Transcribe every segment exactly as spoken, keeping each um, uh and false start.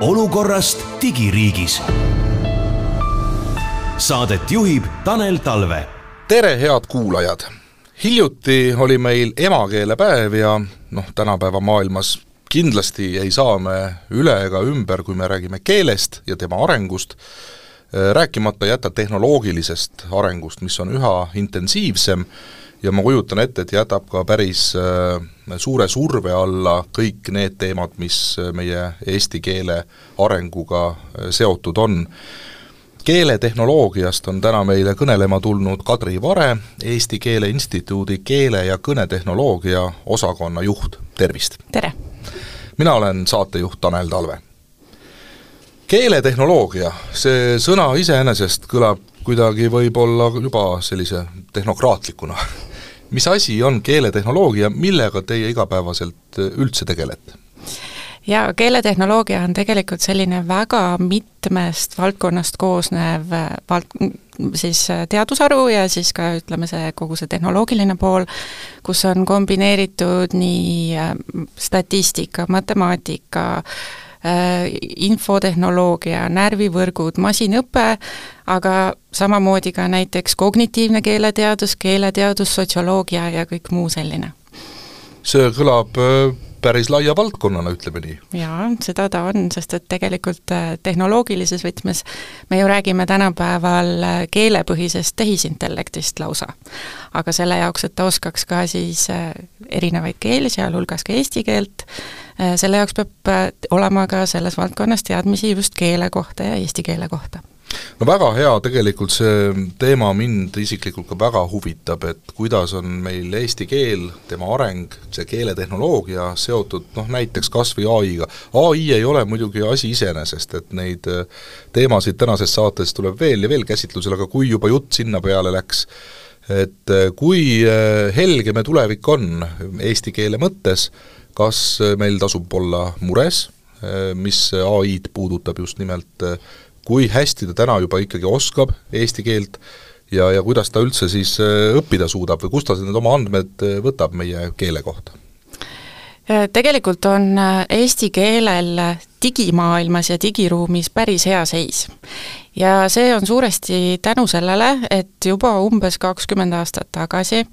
olukorrast digiriigis. Saadet juhib Tanel Talve. Tere, head kuulajad! Hiljuti oli meil emakeelepäev ja noh, tänapäeva maailmas kindlasti ei saa me üle ega ümber, kui me räägime keelest ja tema arengust, rääkimata jätta tehnoloogilisest arengust, mis on üha intensiivsem ja ma kujutan ette, et jätab ka päris suure surve alla kõik need teemad, mis meie eesti keele arenguga seotud on. Keeletehnoloogiast on täna meile kõnelema tulnud Kadri Vare, Eesti Keele Instituudi keele- ja kõnetehnoloogia osakonna juht. Tervist! Tere! Mina olen saatejuht Tanel Talve. Keeletehnoloogia, see sõna iseenesest kõlab kuidagi võib-olla juba sellise tehnokraatlikuna. Mis asi on keeletehnoloogia, millega teie igapäevaselt üldse tegelete? Ja keeletehnoloogia on tegelikult selline väga mitmest valdkonnast koosnev vald, siis teadusharu ja siis ka ütleme see kogu see tehnoloogiline pool, kus on kombineeritud nii statistika, matemaatika, infotehnoloogia, närvivõrgud, masinõpe, aga samamoodi ka näiteks kognitiivne keeleteadus, keeleteadus, sotsioloogia ja kõik muu selline. See kõlab päris laia valdkonnana, ütleme nii. Jaa, seda ta on, sest et tegelikult tehnoloogilises võtmes me ju räägime tänapäeval keelepõhisest tehisintellektist lausa. Aga selle jaoks, et ta oskaks ka siis erinevaid keeli, sealhulgas ka eesti keelt, selle jaoks peab olema ka selles valdkonnas teadmisi just keele kohta ja eesti keele kohta. No väga hea, tegelikult see teema mind isiklikult ka väga huvitab, et kuidas on meil eesti keel, tema areng, see keeletehnoloogia seotud noh, näiteks kas või A I-ga. A I ei ole muidugi asi iseenesest, et neid teemasid tänases saates tuleb veel ja veel käsitlusel, aga kui juba jutt sinna peale läks, et kui helge me tulevik on eesti keele mõttes, kas meil tasub olla mures, mis A I-d puudutab just nimelt kui hästi ta täna juba ikkagi oskab eesti keelt ja, ja kuidas ta üldse siis õppida suudab või kust ta need oma andmed võtab meie keele kohta? Tegelikult on eesti keelel digimaailmas ja digiruumis päris hea seis. Ja see on suuresti tänu sellele, et juba umbes kakskümmend aastat tagasi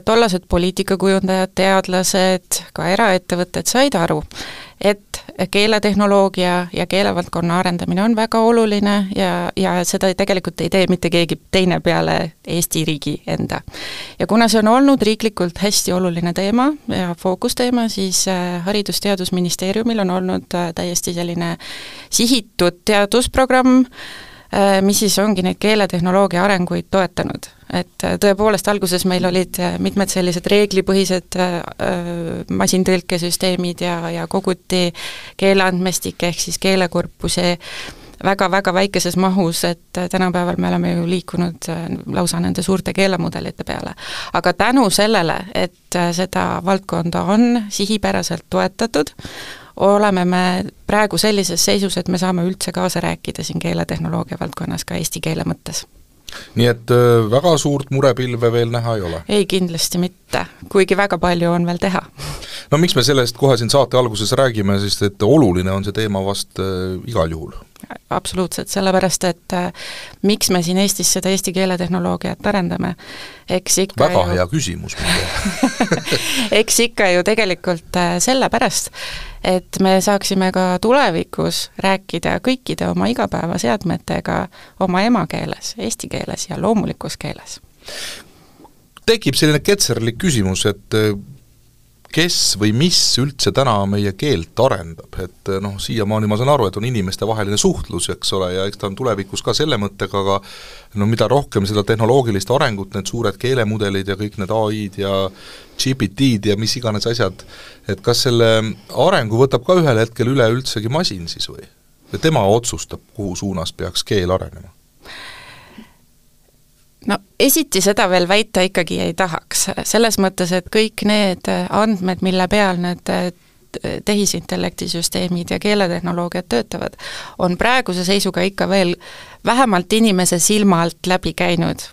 tollased poliitikakujundajad, teadlased, ka eraettevõtted said aru, et keeletehnoloogia ja keelevaldkonna arendamine on väga oluline ja, ja seda tegelikult ei tee mitte keegi teine peale Eesti riigi enda. Ja kuna see on olnud riiklikult hästi oluline teema ja fookusteema, siis Haridus-Teadusministeeriumil on olnud täiesti selline sihitud teadusprogramm, mis siis ongi neid keeletehnoloogia arenguid toetanud. Et tõepoolest alguses meil olid mitmed sellised reeglipõhised masintõlkesüsteemid ja, ja koguti keeleandmestik ehk siis keelekorpuse väga-väga väikeses mahus, et tänapäeval me oleme ju liikunud lausa nende suurte keelemudelite peale. Aga tänu sellele, et seda valdkonda on sihipäraselt toetatud, oleme me praegu sellises seisus, et me saame üldse kaasa rääkida siin keeletehnoloogia valdkonnas ka eesti keele mõttes. Nii et väga suurt murepilve veel näha ei ole? Ei, kindlasti mitte, kuigi väga palju on veel teha. No miks me sellest kohe siin saate alguses räägime, sest et oluline on see teema vast igal juhul? Absoluutselt, sellepärast, et miks me siin Eestis seda eesti keeletehnoloogiat arendame, eks ikka väga ju... hea küsimus. eks ikka ju tegelikult sellepärast, et me saaksime ka tulevikus rääkida kõikide oma igapäevaseadmetega oma emakeeles, eesti keeles ja loomulikus keeles. Tekib selline ketserlik küsimus, et kes või mis üldse täna meie keelt arendab, et noh, siiamaani ma saan aru, et on inimeste vaheline suhtlus, eks ole, ja eks ta on tulevikus ka selle mõttega, aga no mida rohkem seda tehnoloogilist arengut, need suured keelemudelid ja kõik need A I-d ja G P T-d ja mis iganes asjad, et kas selle arengu võtab ka ühel hetkel üle üldsegi masin siis või? Ja tema otsustab, kuhu suunas peaks keel arenema? No esiti seda veel väita ikkagi ei tahaks, selles mõttes, et kõik need andmed, mille peal need tehisintellektisüsteemid ja keeletehnoloogiad töötavad, on praeguse seisuga ikka veel vähemalt inimese silma alt läbi käinud.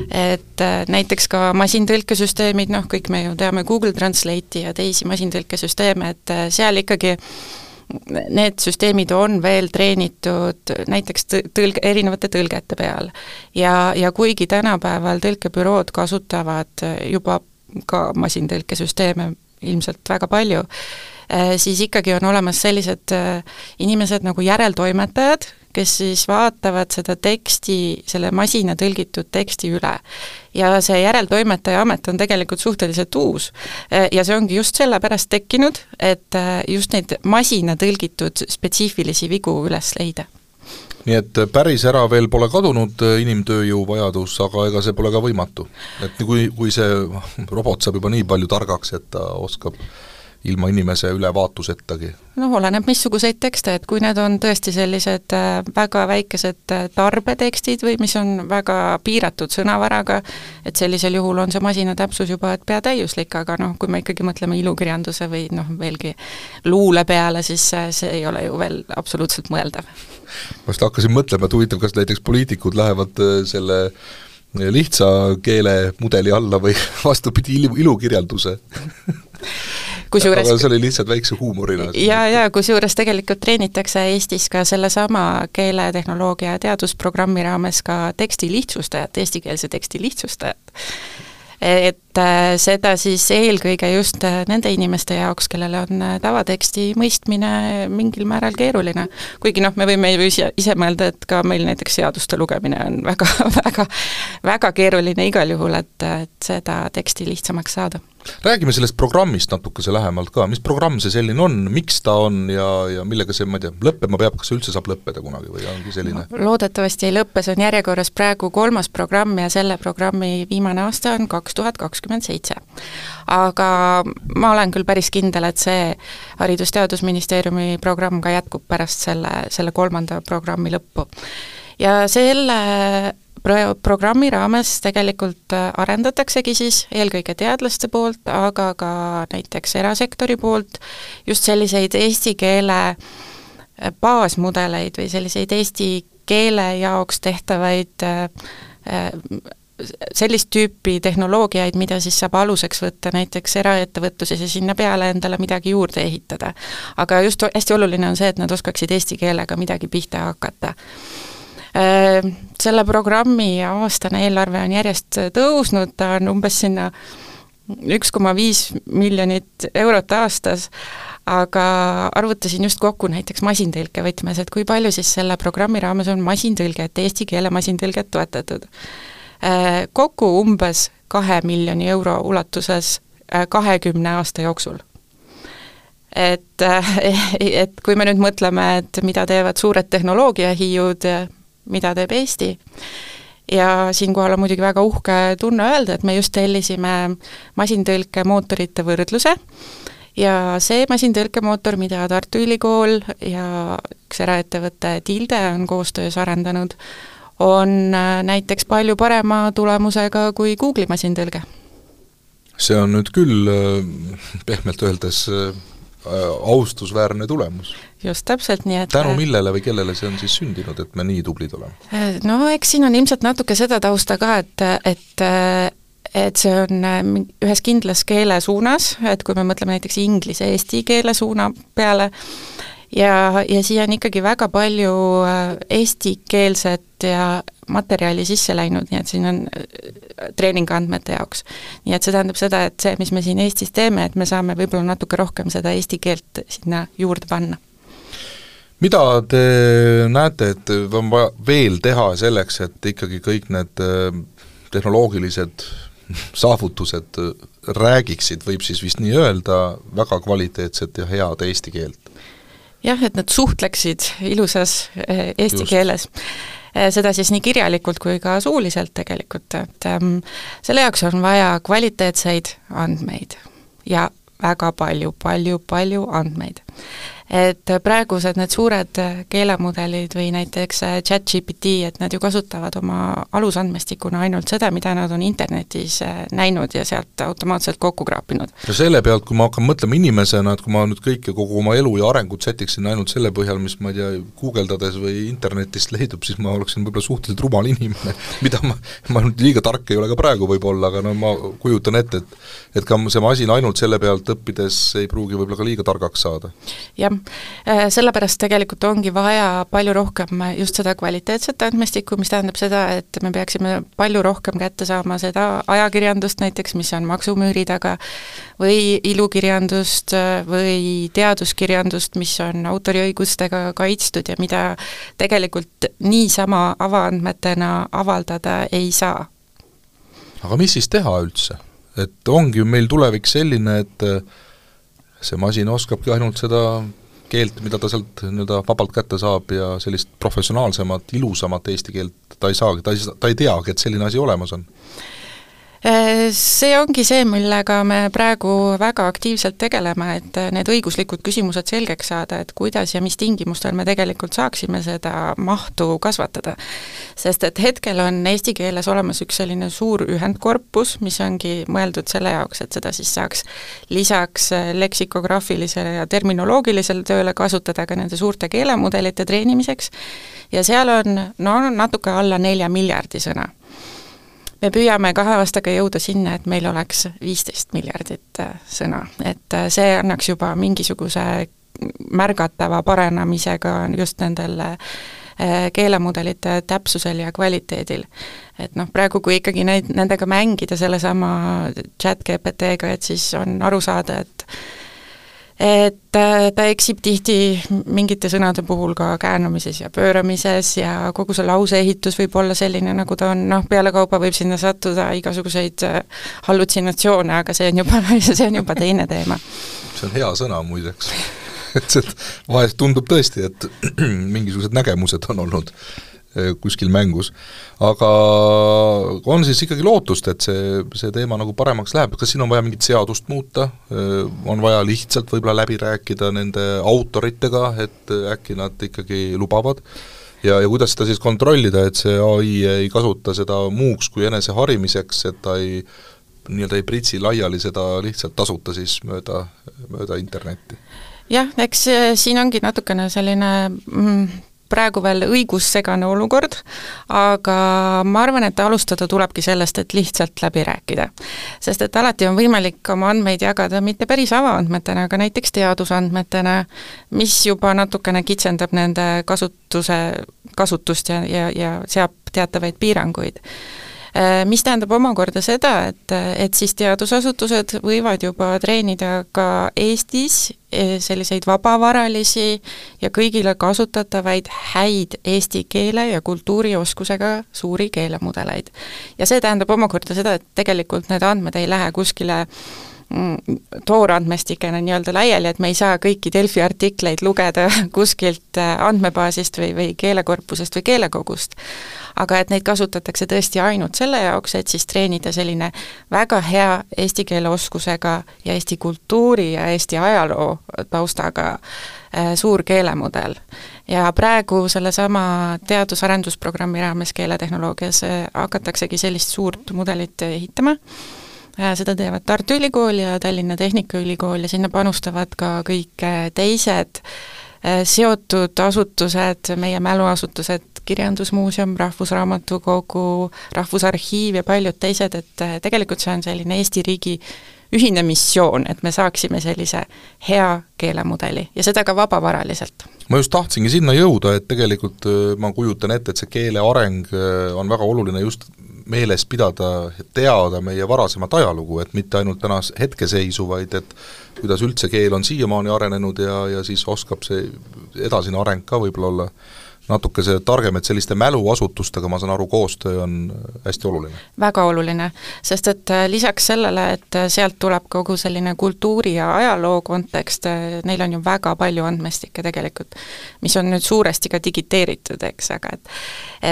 Et näiteks ka masintõlkesüsteemid, noh kõik me ju teame Google Translate'i ja teisi masintõlkesüsteeme, et seal ikkagi need süsteemid on veel treenitud näiteks tõlge, erinevate tõlgete peal. Ja, ja kuigi tänapäeval tõlkebürood kasutavad juba ka masintõlkesüsteeme ilmselt väga palju, siis ikkagi on olemas sellised inimesed nagu järeltoimetajad, kes siis vaatavad seda teksti, selle masina tõlgitud teksti üle. Ja see järeltoimetaja amet on tegelikult suhteliselt uus. Ja see ongi just sellepärast tekkinud, et just neid masina tõlgitud spetsiifilisi vigu üles leida. Nii et päris ära veel pole kadunud inimtööjõu vajadus, aga ega see pole ka võimatu. Et kui, kui see robot saab juba nii palju targaks, et ta oskab ilma inimese ülevaatusettagi. No oleneb missuguseid tekste, et kui need on tõesti sellised väga väikesed tarbetekstid või mis on väga piiratud sõnavaraga, et sellisel juhul on see masina täpsus juba et peatäiuslik, aga noh, kui me ikkagi mõtleme ilukirjanduse või noh, veelgi luule peale, siis see ei ole ju veel absoluutselt mõeldav. Ma just hakkasin mõtlema, et huvitav, kas näiteks poliitikud lähevad selle lihtsa keele mudeli alla või vastupidi ilu, ilukirjanduse Kusjuures, aga see oli lihtsalt väikse huumorina. Ja, ja kusjuures tegelikult treenitakse Eestis ka sellesama keeletehnoloogia teadusprogrammi raames ka teksti lihtsustajat, eestikeelse teksti lihtsustajat. Et seda siis eelkõige just nende inimeste jaoks, kellele on tavateksti mõistmine mingil määral keeruline. Kuigi noh, me võime ju ise, ise mõelda, et ka meil näiteks seaduste lugemine on väga, väga, väga keeruline igal juhul, et, et seda teksti lihtsamaks saada. Räägime sellest programmist natukese lähemalt ka, mis programm see selline on, miks ta on ja, ja millega see, ma ei tea, lõppema peab, kas see üldse saab lõppeda kunagi või ongi selline? No, loodetavasti ei lõppe, see on järjekorras praegu kolmas programm ja selle programmi viimane aasta on kaks tuhat kakskümmend seitse. Aga ma olen küll päris kindel, et see Haridus-Teadusministeeriumi programm ka jätkub pärast selle, selle kolmanda programmi lõppu. Ja selle Pro- programmi raames tegelikult arendataksegi siis eelkõige teadlaste poolt, aga ka näiteks erasektori poolt just selliseid eesti keele baasmudeleid või selliseid eesti keele jaoks tehtavaid sellist tüüpi tehnoloogiaid, mida siis saab aluseks võtta näiteks eraettevõtluses ja sinna peale endale midagi juurde ehitada. Aga just hästi oluline on see, et nad oskaksid eesti keelega midagi pihta hakata. Selle programmi aastane eelarve on järjest tõusnud, ta on umbes sinna üks koma viis miljonit eurot aastas, aga arvutasin just kokku näiteks masintõlke võtmes, et kui palju siis selle programmi raames on masintõlget, eesti keele masintõlget toetatud. Kokku umbes kahe miljoni euro ulatuses kahekümne aasta jooksul. Et, et kui me nüüd mõtleme, et mida teevad suured tehnoloogiahiiud, mida teeb Eesti. Ja siinkohal on muidugi väga uhke tunne öelda, et me just tellisime masintõlke mootorite võrdluse ja see masintõlkemootor, mida Tartu Ülikool ja üks eraettevõte Tilde on koostöös arendanud, on näiteks palju parema tulemusega kui Google'i masintõlge. See on nüüd küll pehmelt öeldes austusväärne tulemus. Just täpselt nii, et tänu millele või kellele see on siis sündinud, et me nii tublid oleme? No eks siin on ilmselt natuke seda tausta ka, et, et, et see on ühes kindlas keele suunas, et kui me mõtleme näiteks inglise eesti keele suuna peale, ja, ja siia on ikkagi väga palju eestikeelset ja materjali sisse läinud, nii et siin on treeningandmete jaoks. Nii et see tähendab seda, et see, mis me siin Eestis teeme, et me saame võib-olla natuke rohkem seda eesti keelt sinna juurde panna. Mida te näete, et on vaja veel teha selleks, et ikkagi kõik need tehnoloogilised saavutused räägiksid, võib siis vist nii öelda, väga kvaliteetset ja head eesti keelt? Jah, et nad suhtleksid ilusas eesti Just. keeles. Seda siis nii kirjalikult kui ka suuliselt tegelikult, et ähm, selle jaoks on vaja kvaliteetseid andmeid ja väga palju, palju, palju andmeid. Et praegused need suured keelemudelid või näiteks ChatGPT, et nad ju kasutavad oma alusandmestikuna ainult seda, mida nad on internetis näinud ja sealt automaatselt kokku kraapinud. Ja selle pealt, kui ma hakkan mõtlema inimesena, et kui ma nüüd kõike, kogu oma elu ja arengut sätiksin ainult selle põhjal, mis ma ei tea, guugeldades või internetist leidub, siis ma oleksin võib-olla suhteliselt rumal inimene, mida ma, ma liiga tark ei ole ka praegu võib-olla, aga no ma kujutan ette, et, et ka see masin ainult selle pealt õppides ei pruugi võib-olla ka liiga targaks saada. jah, sellepärast tegelikult ongi vaja palju rohkem just seda kvaliteetset andmestikku, mis tähendab seda, et me peaksime palju rohkem kätte saama seda ajakirjandust näiteks, mis on maksumüüri taga, või ilukirjandust või teaduskirjandust, mis on autoriõigustega kaitstud ja mida tegelikult niisama avaandmetena avaldada ei saa. Aga mis siis teha üldse? Et ongi meil tulevik selline, et see masin oskabki ainult seda keelt, mida ta sealt nii-öelda vabalt kätte saab ja sellist professionaalsemat, ilusamat eesti keelt ta ei saagi, ta ei, ta ei teagi, et selline asi olemas on. See ongi see, millega me praegu väga aktiivselt tegeleme, et need õiguslikud küsimused selgeks saada, et kuidas ja mis tingimustel me tegelikult saaksime seda mahtu kasvatada. Sest et hetkel on eesti keeles olemas üks selline suur ühendkorpus, mis ongi mõeldud selle jaoks, et seda siis saaks lisaks leksikograafilisele ja terminoloogilisele tööle kasutada ka nende suurte keelemudelite treenimiseks ja seal on no, natuke alla nelja miljardi sõna. Me püüame kahe aastaga jõuda sinna, et meil oleks viisteist miljardit sõna, et see annaks juba mingisuguse märgatava parenemisega just nendel keelemudelite täpsusel ja kvaliteedil. Et noh, praegu kui ikkagi neid, nendega mängida sellesama chat G P T-ga, et siis on aru saada, et et ta eksib tihti mingite sõnade puhul ka käänumises ja pööramises ja kogu see lauseehitus võib olla selline, nagu ta on, noh, peale kaupa võib sinna sattuda igasuguseid hallutsinatsioone, aga see on juba, see on juba teine teema. See on hea sõna muideks. et see, vahest tundub tõesti, et mingisugused nägemused on olnud kuskil mängus, aga on siis ikkagi lootust, et see, see teema nagu paremaks läheb, kas siin on vaja mingit seadust muuta, on vaja lihtsalt võib-olla läbi rääkida nende autoritega, et äkki nad ikkagi lubavad, ja, ja kuidas seda siis kontrollida, et see A I ei kasuta seda muuks kui enese harimiseks, et ta ei nii-öelda ei pritsi laiali seda lihtsalt tasuta siis mööda, mööda internetti? Jah, eks siin ongi natukene selline mm, praegu veel õigussegane olukord, aga ma arvan, et alustada tulebki sellest, et lihtsalt läbi rääkida. Sest et alati on võimalik oma andmeid jagada mitte päris avaandmetena, aga näiteks teadusandmetena, mis juba natukene kitsendab nende kasutuse, kasutust ja, ja, ja seab teatavaid piiranguid. Mis tähendab omakorda seda, et, et siis teadusasutused võivad juba treenida ka Eestis selliseid vabavaralisi ja kõigile kasutatavaid häid eesti keele ja kultuurioskusega suuri keelemudeleid. Ja see tähendab omakorda seda, et tegelikult need andmed ei lähe kuskile toorandmestikena nii-öelda laiali, et me ei saa kõiki Delfi artikleid lugeda kuskilt andmebaasist või, või keelekorpusest või keelekogust. Aga et neid kasutatakse tõesti ainult selle jaoks, et siis treenida selline väga hea eesti keele oskusega ja eesti kultuuri ja eesti ajaloo taustaga suur keelemudel. Ja praegu sellesama teadus-arendusprogrammi raames keeletehnoloogias hakataksegi sellist suurt mudelit ehitama. Seda teevad Tartu Ülikool ja Tallinna Tehnikaülikool ja sinna panustavad ka kõik teised seotud asutused, meie mäluasutused, Kirjandusmuuseum, Rahvusraamatukogu, Rahvusarhiiv ja paljud teised, et tegelikult see on selline Eesti riigi ühine missioon, et me saaksime sellise hea keelemudeli ja seda ka vabavaraliselt. Ma just tahtsingi sinna jõuda, et tegelikult ma kujutan ette, et see keele areng on väga oluline just meeles pidada, teada meie varasemat ajalugu, et mitte ainult tänas hetkeseisu, vaid et kuidas üldse keel on siiamaani arenenud ja, ja siis oskab see edasine areng ka võib-olla olla natuke see targem, et selliste mäluasutustega, ma saan aru, koostöö on hästi oluline. Väga oluline, sest et lisaks sellele, et sealt tuleb kogu selline kultuuri ja ajaloo kontekst, neil on ju väga palju andmestikke tegelikult, mis on nüüd suuresti ka digiteeritud, eks, aga et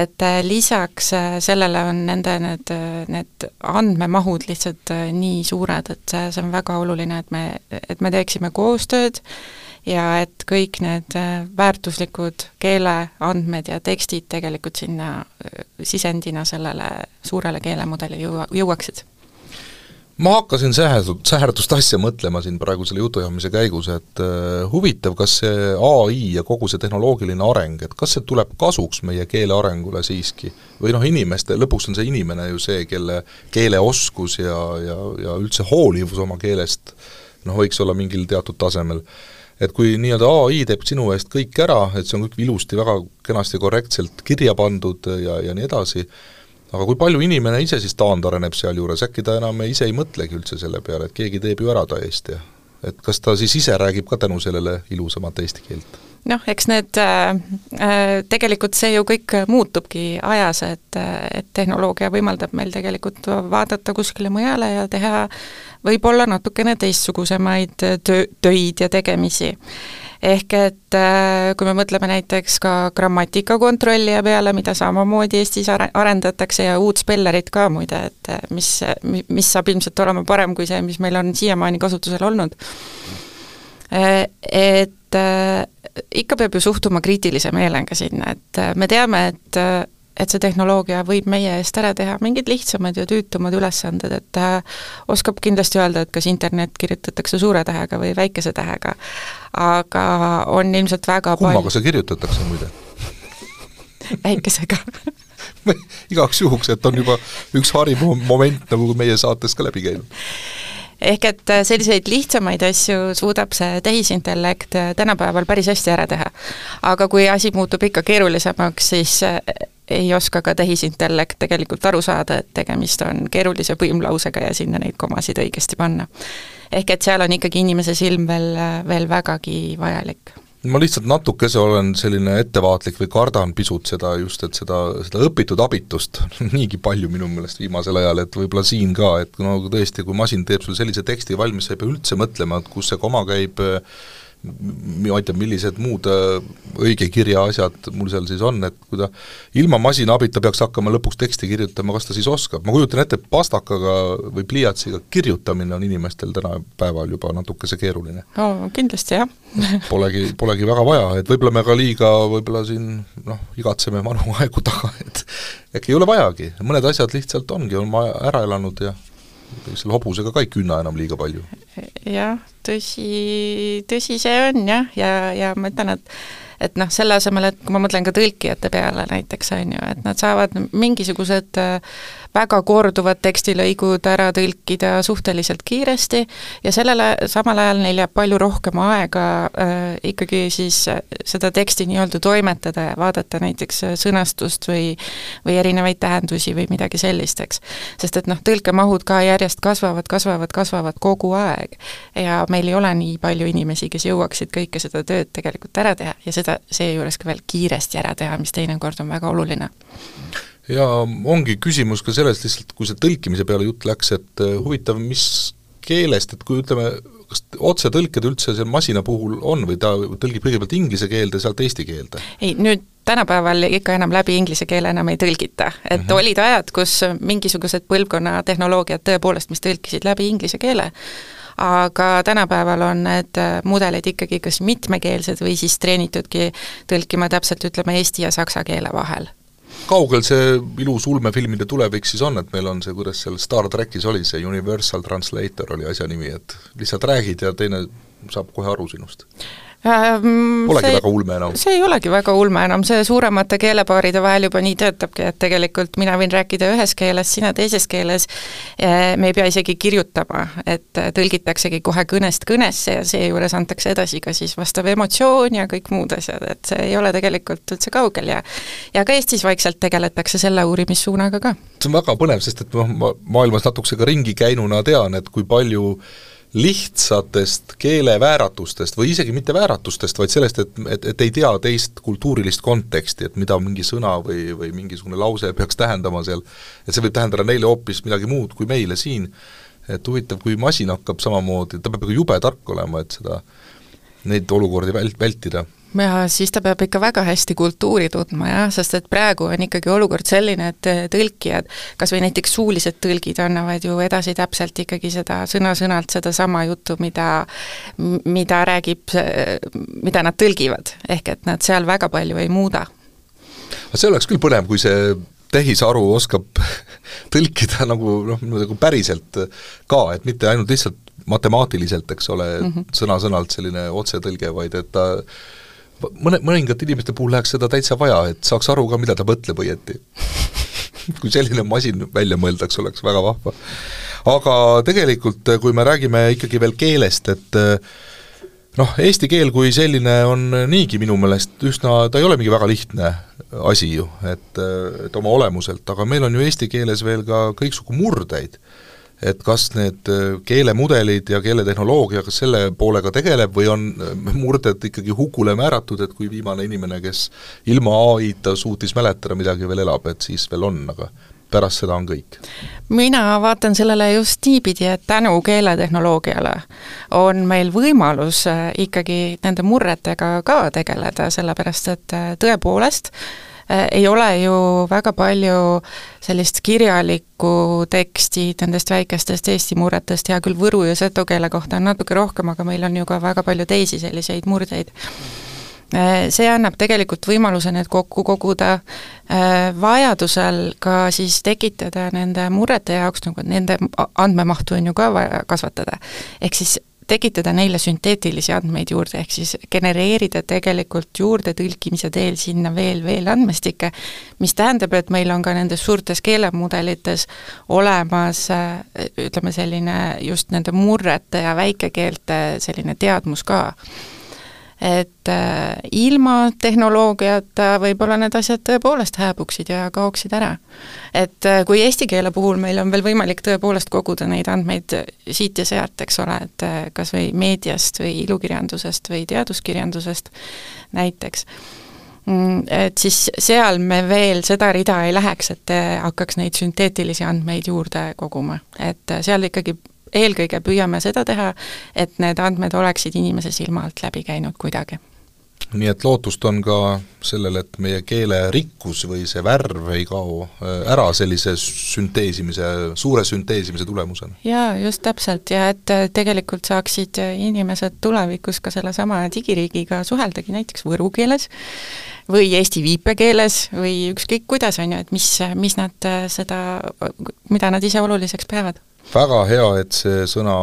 et lisaks sellele on nende need, need andmemahud lihtsalt nii suured, et see, see on väga oluline, et me, et me teeksime koostööd ja et kõik need väärtuslikud keeleandmed ja tekstid tegelikult sinna sisendina sellele suurele keelemudeli jõua, jõuaksid. Ma hakkasin säherdust, säherdust asja mõtlema siin praegu selle jutujamise käigus, et uh, huvitav, kas see A I ja kogu see tehnoloogiline areng, et kas see tuleb kasuks meie keele arengule siiski? Või noh, inimeste, lõpuks on see inimene ju see, kelle keeleoskus ja, ja, ja üldse hoolivus oma keelest noh, võiks olla mingil teatud tasemel. et kui nii-öelda A I teeb sinu eest kõik ära, et see on kõik ilusti, väga kenasti korrektselt kirja pandud ja, ja nii edasi, aga kui palju inimene ise siis taandareneb seal juures, äkki ta enam ise ei mõtlegi üldse selle peale, et keegi teeb ju ära ta eest ja et kas ta siis ise räägib ka tänu sellele ilusamat eesti keelt? Noh, eks need äh, tegelikult see ju kõik muutubki ajas, et, et tehnoloogia võimaldab meil tegelikult vaadata kuskile mujale ja teha võib-olla natukene teistsugusemaid töö, töid ja tegemisi. Ehk et kui me mõtleme näiteks ka grammatikakontrollija peale, mida samamoodi Eestis arendatakse ja uut spellerit ka muide, et mis, mis saab ilmselt olema parem kui see, mis meil on siiamaani kasutusel olnud. Et ikka peab ju suhtuma kriitilise meelega sinna, et me teame, et et see tehnoloogia võib meie eest ära teha mingid lihtsamad ja tüütumad ülesanded, et ta oskab kindlasti öelda, et kas internet kirjutatakse suure tähega või väikese tähega, aga on ilmselt väga kummaga palju... see kirjutatakse muide? Väikesega igaks juhuks, et on juba üks hariv moment nagu meie saates ka läbi käinud. Ehk et selliseid lihtsamaid asju suudab see tehisintellekt tänapäeval päris hästi ära teha. Aga kui asi muutub ikka keerulisemaks, siis ei oska ka tehisintellekt tegelikult aru saada, et tegemist on keerulise põimlausega ja sinna neid komasid õigesti panna. Ehk et seal on ikkagi inimese silm veel, veel vägagi vajalik. Ma lihtsalt natukese olen selline ettevaatlik või kardan pisut seda just, et seda, seda õpitud abitust niigi palju minu meelest viimasel ajal, et võib-olla siin ka, et no tõesti, kui masin teeb sul sellise teksti valmis, sa ei pea üldse mõtlema, et kus see koma käib, ma ei tea, millised muud õige kirja asjad mul seal siis on, et kui ta ilma masina abita peaks hakkama lõpuks teksti kirjutama, kas ta siis oskab? Ma kujutan ette, pastakaga või pliiatsiga kirjutamine on inimestel täna päeval juba natukese keeruline. Oh, kindlasti jah. polegi, polegi väga vaja, et võib-olla me ka liiga võib-olla siin noh, igatseme vanu aegu taga, et äkki ei ole vajagi, mõned asjad lihtsalt ongi, on ära elanud ja selle hobusega ka ei künna enam liiga palju. Jah, tõsi, tõsi see on jah, ja, ja ma ütlen, et et noh, selle asemel, et kui ma mõtlen ka tõlkijate peale näiteks, on ju, et nad saavad mingisugused väga korduvad tekstilõigud ära tõlkida suhteliselt kiiresti ja sellele samal ajal neil jääb palju rohkem aega äh, ikkagi siis seda teksti nii-öelda toimetada ja vaadata näiteks sõnastust või, või erinevaid tähendusi või midagi sellist, eks. Sest et noh, tõlkemahud ka järjest kasvavad, kasvavad, kasvavad kogu aeg ja meil ei ole nii palju inimesi, kes jõuaksid kõike seda tööd tegelikult ära teha ja seda seejuures ka veel kiiresti ära teha, mis teinekord on väga oluline. Ja ongi küsimus ka sellest lihtsalt, kui see tõlkimise peale jutt läks, et huvitav, mis keelest, et kui ütleme, kas otse tõlked üldse see masina puhul on või ta tõlgib kõigepealt inglise keelde, sealt eesti keelde? Ei, nüüd tänapäeval ikka enam läbi inglise keele enam ei tõlgita, et mm-hmm. olid ajad, kus mingisugused põlvkonna tehnoloogiad tõepoolest, mis tõlkisid läbi inglise keele, aga tänapäeval on need mudelid ikkagi kas mitmekeelsed või siis treenitudki tõlkima täpselt, ütleme, eesti ja saksa keele vahel. Kaugel see ilus ulmefilmide tulevik siis on, et meil on see, kuidas seal Star Trekis oli, see Universal Translator oli asja nimi, et lihtsalt räägid ja teine saab kohe aru sinust? Polegi see, väga ulme enam. See ei olegi väga ulme enam, see suuremate keelepaaride vahel juba nii töötabki, et tegelikult mina võin rääkida ühes keeles, sina teises keeles, me ei pea isegi kirjutama, et tõlgitaksegi kohe kõnest kõnesse ja seejuures antakse edasi ka siis vastav emotsioon ja kõik muud asjad, et see ei ole tegelikult üldse kaugel ja ja ka Eestis vaikselt tegeletakse selle uurimissuunaga ka. See on väga põnev, sest et ma maailmas natukesega ringi käinuna tean, et kui palju lihtsatest keelevääratustest või isegi mitte vääratustest, vaid sellest, et, et, et ei tea teist kultuurilist konteksti, et mida mingi sõna või, või mingisugune lause peaks tähendama seal, et see võib tähendada neile hoopis midagi muud kui meile siin, et huvitav, kui masin hakkab samamoodi, ta peab jube tark olema, et seda, neid olukordi vält, vältida. Ja siis ta peab ikka väga hästi kultuuri tundma, jah, sest et praegu on ikkagi olukord selline, et tõlkijad, kas või näiteks suulised tõlgid annavad ju edasi täpselt ikkagi seda sõna-sõnalt seda sama juttu, mida, mida räägib, mida nad tõlgivad, ehk et nad seal väga palju ei muuda. See oleks küll põnev, kui see tehisaru oskab tõlkida nagu, noh, nagu päriselt ka, et mitte ainult lihtsalt matemaatiliselt, eks ole, mm-hmm. sõna-sõnalt selline otsetõlge, vaid et ta mõne, mõningate inimeste puhul läheks seda täitsa vaja, et saaks aru ka, mida ta mõtleb õieti. kui selline masin välja mõeldaks, oleks väga vahva. Aga tegelikult, kui me räägime ikkagi veel keelest, et noh, eesti keel kui selline on niigi minu meelest üsna, ta ei ole mingi väga lihtne asi ju, et, et oma olemuselt, aga meil on ju eesti keeles veel ka kõiksugu murdeid, et kas need keelemudelid ja keeletehnoloogia, kas selle poolega tegeleb või on murded ikkagi hukule määratud, et kui viimane inimene, kes ilma A I-ta suutis mäletada midagi veel elab, et siis veel on, aga pärast seda on kõik. Mina vaatan sellele just niipidi, et tänu keeletehnoloogiale on meil võimalus ikkagi nende murretega ka tegeleda, sellepärast et tõepoolest ei ole ju väga palju sellist kirjalikku teksti nendest väikestest Eesti murretest, hea küll võru ja seto keele kohta on natuke rohkem, aga meil on ju ka väga palju teisi selliseid murdeid. See annab tegelikult võimaluse need kokku koguda, vajadusel ka siis tekitada nende murrete jaoks, nagu nende andmemahtu on ju ka vaja kasvatada, ehk siis tekitada neile sünteetilisi andmeid juurde, ehk siis genereerida tegelikult juurde tõlkimise teel sinna veel, veel andmestikke, mis tähendab, et meil on ka nendes suurtes keelemudelites olemas, ütleme selline just nende murrete ja väikekeelte selline teadmus ka. Et äh, ilma tehnoloogiata võib-olla need asjad tõepoolest hääbuksid ja kaoksid ära. Et äh, kui eesti keele puhul meil on veel võimalik tõepoolest koguda neid andmeid siit ja sealt, eks ole, et äh, kas või meediast või ilukirjandusest või teaduskirjandusest näiteks, et siis seal me veel seda rida ei läheks, et hakkaks neid sünteetilisi andmeid juurde koguma, et seal ikkagi eelkõige püüame seda teha, et need andmed oleksid inimese silma alt läbi käinud kuidagi. Nii et lootust on ka sellele, et meie keele rikkus või see värv ei kao ära sellise sünteesimise, suure sünteesimise tulemusena. Jaa, just täpselt, ja et tegelikult saaksid inimesed tulevikus ka selle sama digiriigiga suheldagi näiteks võru keeles või eesti viipekeeles või ükskõik kuidas on ju, et mis, mis nad seda, mida nad ise oluliseks peavad. Väga hea, et see sõna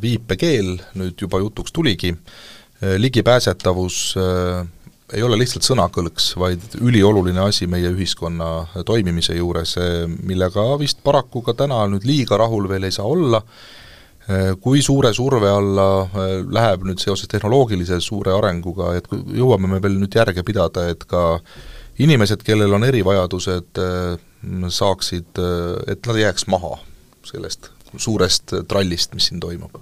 viipekeel nüüd juba jutuks tuligi. Ligipääsetavus ei ole lihtsalt sõnakõlks, vaid ülioluline asi meie ühiskonna toimimise juures, millega vist paraku ka täna nüüd liiga rahul veel ei saa olla. Kui suure surve alla läheb nüüd seoses tehnoloogilise suure arenguga, et jõuame me veel nüüd järge pidada, et ka inimesed, kellel on erivajadused, saaksid, et nad jääks maha sellest suurest trallist, mis siin toimub?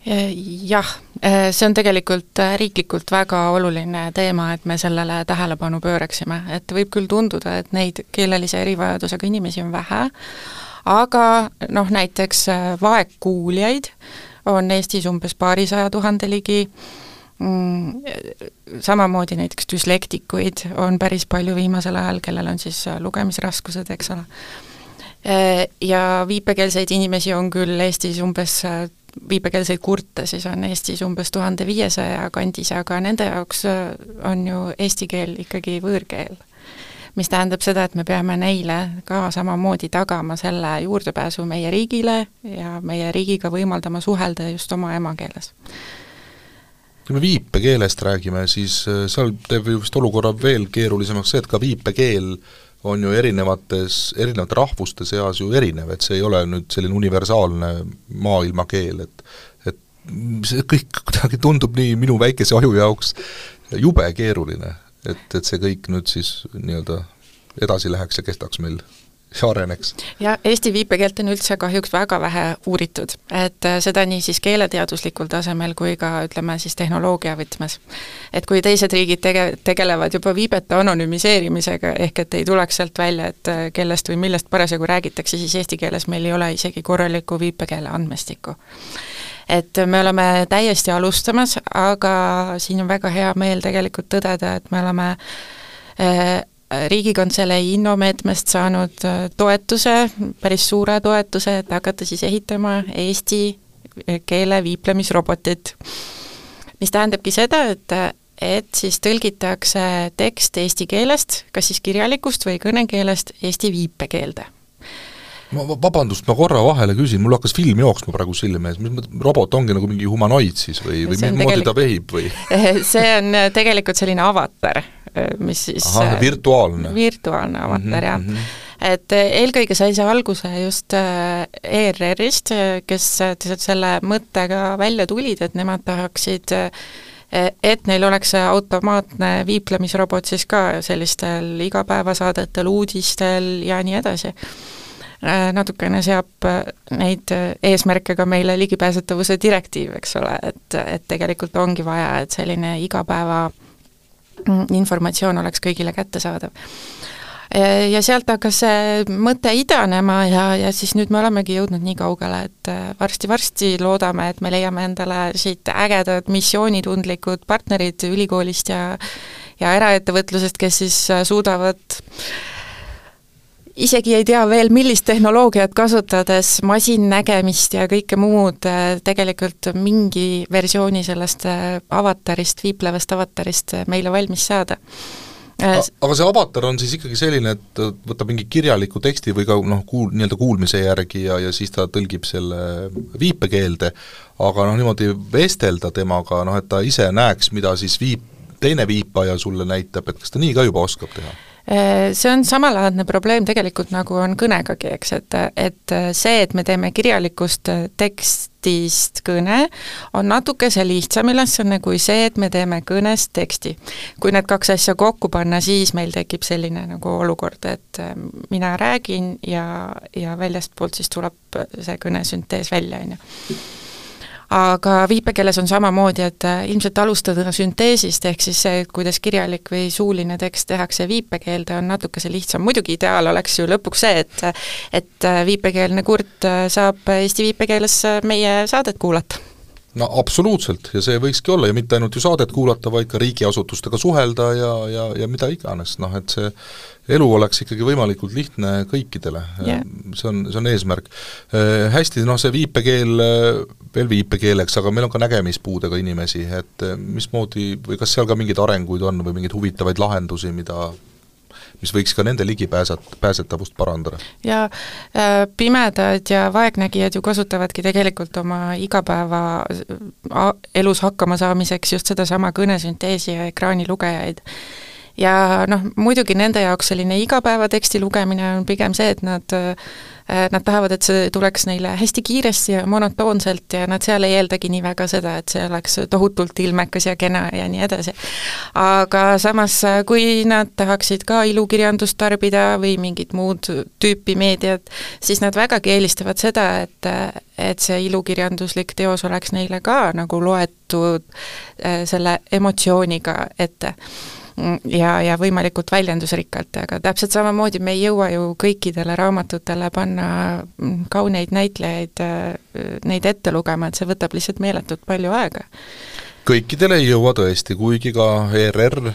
Jah, see on tegelikult riiklikult väga oluline teema, et me sellele tähelepanu pööraksime, et võib küll tunduda, et neid keelelise erivajadusega inimesi on vähe, aga noh, näiteks vaegkuuljaid on Eestis umbes paarisaja tuhande ligi, samamoodi näiteks düslektikuid on päris palju viimasel ajal, kellel on siis lugemisraskused, eks ole. Ja viipekeelseid inimesi on küll Eestis umbes, viipekeelseid kurte siis on Eestis umbes tuhande viiesaja kandis, aga nende jaoks on ju eesti keel ikkagi võõrkeel, mis tähendab seda, et me peame neile ka samamoodi tagama selle juurdepääsu meie riigile ja meie riigiga võimaldama suhelda just oma emakeeles. Kui me viipekeelest räägime, siis seal teeb just olukorra veel keerulisemaks see, et ka viipekeel on ju erinevates, erinevate rahvuste seas ju erinev, et see ei ole nüüd selline universaalne maailmakeel, et, et see kõik kuidagi tundub nii minu väikese aju jaoks jube keeruline, et, et see kõik nüüd siis nii-öelda edasi läheks ja kestaks meil ja areneks. Ja Eesti viipekeelt on üldse kahjuks väga vähe uuritud, et seda nii siis keeleteaduslikul tasemel kui ka ütleme siis tehnoloogia võtmes. Et kui teised riigid tege-, tegelevad juba viibete anonüümiseerimisega, ehk et ei tuleks sealt välja, et kellest või millest parasjagu räägitakse, siis eesti keeles meil ei ole isegi korralikku viipekeele andmestikku. Et me oleme täiesti alustamas, aga siin on väga hea meel tegelikult tõdeda, et me oleme äh, Riigikantselei innomeetmest saanud toetuse, päris suure toetuse, et hakata siis ehitama eesti keele viiplemisrobotit, mis tähendabki seda, et, et siis tõlgitakse tekst eesti keelest, kas siis kirjalikust või kõnekeelest eesti viipekeelde. Ma vabandust, ma korra vahele küsin, mul hakkas film jooksma praegu silme ees, robot ongi nagu mingi humanoid siis või, või mis moodi ta vehib või? See on tegelikult selline avatar, mis siis Aha, virtuaalne. virtuaalne avatar, jah. Mm -hmm. et eelkõige sai see alguse just E R R-ist, kes selle mõttega välja tulid, et nemad tahaksid, et neil oleks automaatne viiplemisrobot siis ka sellistel igapäevasaadetel, uudistel ja nii edasi. Natukene seab neid eesmärke ka meile ligipääsetavuse direktiiv, eks ole, et, et tegelikult ongi vaja, et selline igapäeva informatsioon oleks kõigile kättesaadav. Ja sealt hakkas see mõte idanema ja, ja siis nüüd me olemegi jõudnud nii kaugele, et varsti-varsti loodame, et me leiame endale siit ägedad missioonitundlikud partnerid ülikoolist ja, ja eraettevõtlusest, kes siis suudavad isegi ei tea veel, millist tehnoloogiat kasutades masinnägemist ja kõike muud tegelikult mingi versiooni sellest avatarist, viiplevast avatarist meile valmis saada. Aga see avatar on siis ikkagi selline, et võtab mingi kirjaliku teksti või ka noh, kuul, nii-öelda kuulmise järgi ja, ja siis ta tõlgib selle viipekeelde, aga noh, niimoodi vestelda temaga, noh, et ta ise näeks, mida siis viip, teine viipaja sulle näitab, et kas ta nii ka juba oskab teha? See on samalaadne probleem tegelikult nagu on kõnegagi, eks, et, et see, et me teeme kirjalikust tekstist kõne, on natuke see lihtsam ülesanne kui see, et me teeme kõnest teksti. Kui need kaks asja kokku panna, siis meil tekib selline nagu olukord, et mina räägin ja, ja väljast poolt siis tuleb see kõnesüntees välja, on ju. Aga viipekeeles on samamoodi, et ilmselt alustada sünteesist, ehk siis see, kuidas kirjalik või suuline tekst tehakse viipekeelde, on natuke see lihtsam. Muidugi ideaal oleks ju lõpuks see, et, et viipekeelne kurt saab eesti viipekeeles meie saadet kuulata. No absoluutselt, ja see võikski olla ja mitte ainult ju saadet kuulata, vaid ka riigiasutustega suhelda ja, ja, ja mida iganes, noh et see elu oleks ikkagi võimalikult lihtne kõikidele yeah., see on, see on eesmärk. Hästi, noh see viipekeel, veel viipekeeleks, aga meil on ka nägemispuudega inimesi, et mismoodi või kas seal ka mingeid arenguid on või mingeid huvitavaid lahendusi, mida mis võiks ka nende ligipääset, pääsetavust parandada. Ja äh, pimedad ja vaegnägijad ju kasutavadki tegelikult oma igapäeva elus hakkama saamiseks just seda sama kõnesünteesi ja ekraanilugejaid. Ja noh, muidugi nende jaoks selline igapäevateksti lugemine on pigem see, et nad nad tahavad, et see tuleks neile hästi kiiresti ja monotoonselt ja nad seal ei eeldagi nii väga seda, et see oleks tohutult ilmekas ja kena ja nii edasi. Aga samas, kui nad tahaksid ka ilukirjandust tarbida või mingit muud tüüpi meediat, siis nad vägagi eelistavad seda, et, et see ilukirjanduslik teos oleks neile ka nagu loetud selle emotsiooniga ette. Ja, ja võimalikult väljendusrikkalt, aga täpselt samamoodi me ei jõua ju kõikidele raamatutele panna kauneid näitlejaid neid ette lugema, et see võtab lihtsalt meeletult palju aega. Kõikidele ei jõua tõesti, kuigi ka E R R,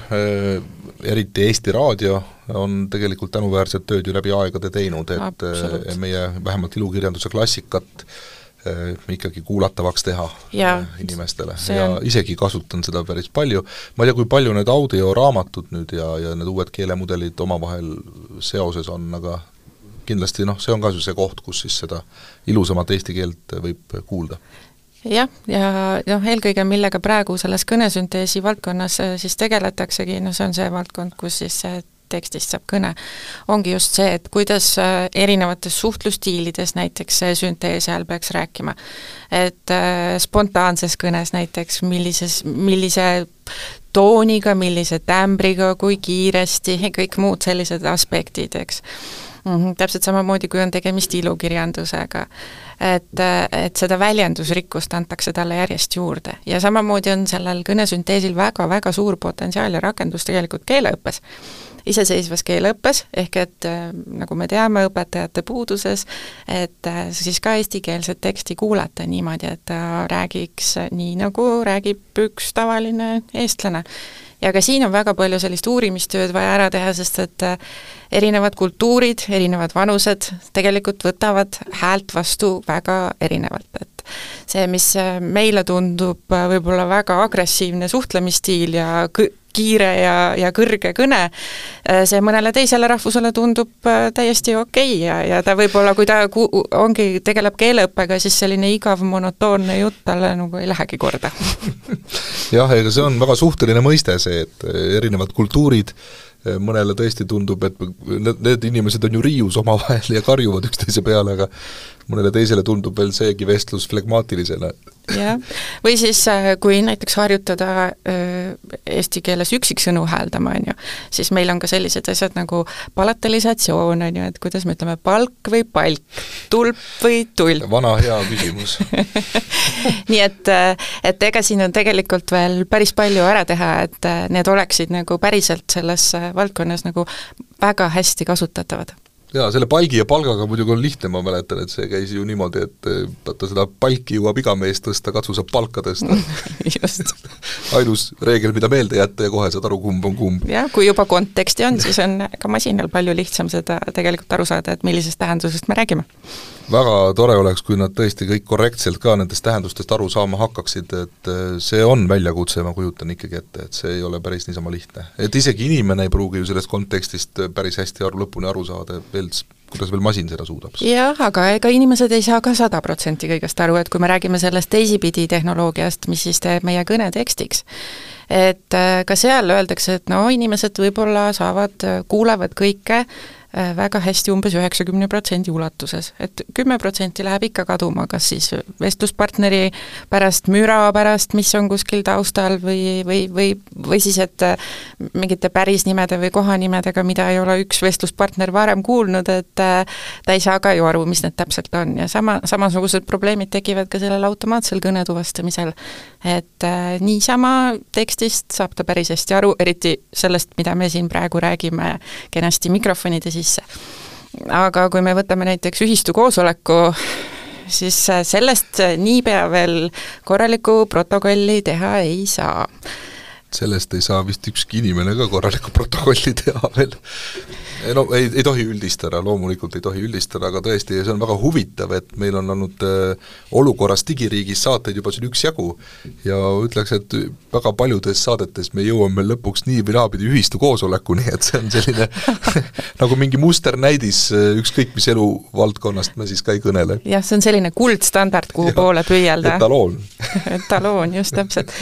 eriti Eesti Raadio, on tegelikult tänuväärset tööd ju läbi aegade teinud, et Absolut. meie vähemalt ilukirjanduse klassikat ikkagi kuulatavaks teha ja, inimestele ja on... isegi kasutan seda päris palju. Ma ei tea, kui palju need audioraamatud nüüd ja, ja need uued keelemudelid omavahel seoses on, aga kindlasti noh, see on ka see koht, kus siis seda ilusamat eesti keelt võib kuulda. Jah, ja noh, eelkõige millega praegu selles kõnesünteesi valdkonnas siis tegeletaksegi, no see on see valdkond, kus siis see tekstist saab kõne, ongi just see, et kuidas erinevates suhtlustiilides näiteks see süntees seal peaks rääkima. Et spontaanses kõnes näiteks, millises, millise tooniga, millise tämbriga, kui kiiresti, kõik muud sellised aspektid, eks. Mm-hmm. Täpselt samamoodi, kui on tegemist ilukirjandusega. Et, et seda väljendusrikkust antakse talle järjest juurde. Ja samamoodi on sellel kõnesünteesil väga-väga suur potentsiaal ja rakendus tegelikult keeleõppes. Iseseisvas keeleõppes, ehk et nagu me teame õpetajate puuduses, et siis ka eestikeelset teksti kuulata niimoodi, et ta räägiks nii, nagu räägib üks tavaline eestlane. Ja ka siin on väga palju sellist uurimistööd vaja ära teha, sest et erinevad kultuurid, erinevad vanused tegelikult võtavad häält vastu väga erinevalt, et see, mis meile tundub võib-olla väga agressiivne suhtlemisstiil ja kõ- kiire ja, ja kõrge kõne, see mõnele teisele rahvusele tundub täiesti okei ja, ja ta võib-olla, kui ta ku, ongi, tegeleb keeleõppega, siis selline igav monotoonne jutt talle nagu ei lähegi korda. Jah, ega see on väga suhteline mõiste see, et erinevad kultuurid mõnele tõesti tundub, et need, need inimesed on ju riius omavahel ja karjuvad üksteise peale, aga mõnele teisele tundub veel seegi vestlus flegmaatilisena. jah, või siis kui näiteks harjutada eesti keeles üksiksõnu hääldama, on ju, siis meil on ka sellised asjad nagu palatalisatsioon, on ju, et kuidas me ütleme palk või palk, tulp või tulp. Vana hea küsimus. nii et, et ega siin on tegelikult veel päris palju ära teha, et need oleksid nagu päriselt selles valdkonnas nagu väga hästi kasutatavad. Jaa, selle palgi ja palgaga muidugi on lihtne, ma mäletan, et see käis ju niimoodi, et vaata seda palki jõuab iga mees tõsta, katsu saab palka tõsta. Just. Ainus reegel, mida meelde jätta ja kohe saad aru, kumb on kumb. jah, kui juba konteksti on, siis on ka masinal palju lihtsam seda tegelikult aru saada, et millisest tähendusest me räägime. Väga tore oleks, kui nad tõesti kõik korrektselt ka nendest tähendustest aru saama hakkaksid, et see on väljakutse, ma kujutan ikkagi ette, et see ei ole päris niisama lihtne. Et isegi inimene ei pruugi ju sellest kontekstist päris hästi aru, lõpuni aru saada, veel, kuidas veel masin seda suudab. jah, aga ega inimesed ei saa ka sada protsenti kõigest aru, et kui me räägime sellest teisipidi tehnoloogiast, mis siis teeb meie kõne tekstiks, et ka seal öeldakse, et no inimesed võib-olla saavad, kuulevad kõike väga hästi umbes üheksakümne protsendi ulatuses, et kümme protsenti läheb ikka kaduma, kas siis vestluspartneri pärast, müra pärast, mis on kuskil taustal või, või, või, või siis, et mingite pärisnimede või kohanimedega, mida ei ole üks vestluspartner varem kuulnud, et ta ei saa ka ju aru, mis need täpselt on ja sama, samasugused probleemid tekivad ka sellel automaatsel kõnetuvastamisel, et niisama tekstist saab ta päris hästi aru, eriti sellest, mida me siin praegu räägime kenasti mikrofonide sisse. Aga kui me võtame näiteks ühistu koosoleku, siis sellest niipea veel korralikku protokolli teha ei saa. Sellest ei saa vist ükski inimene ka korralikku protokolli teha veel. No ei, ei tohi üldistada, loomulikult ei tohi üldistada, aga tõesti, see on väga huvitav, et meil on olnud äh, olukorras digiriigis saateid juba siin üks jagu ja ütleks, et väga paljudes saadetes me jõuame lõpuks nii või naapidi ühistu koosolekuni, et see on selline nagu mingi musternäidis, ükskõik mis eluvaldkonnast me siis ka ei kõnele. jah, see on selline kuldstandard, kuhu ja, poole püüelda. Etaloon. Etaloon, just täpselt.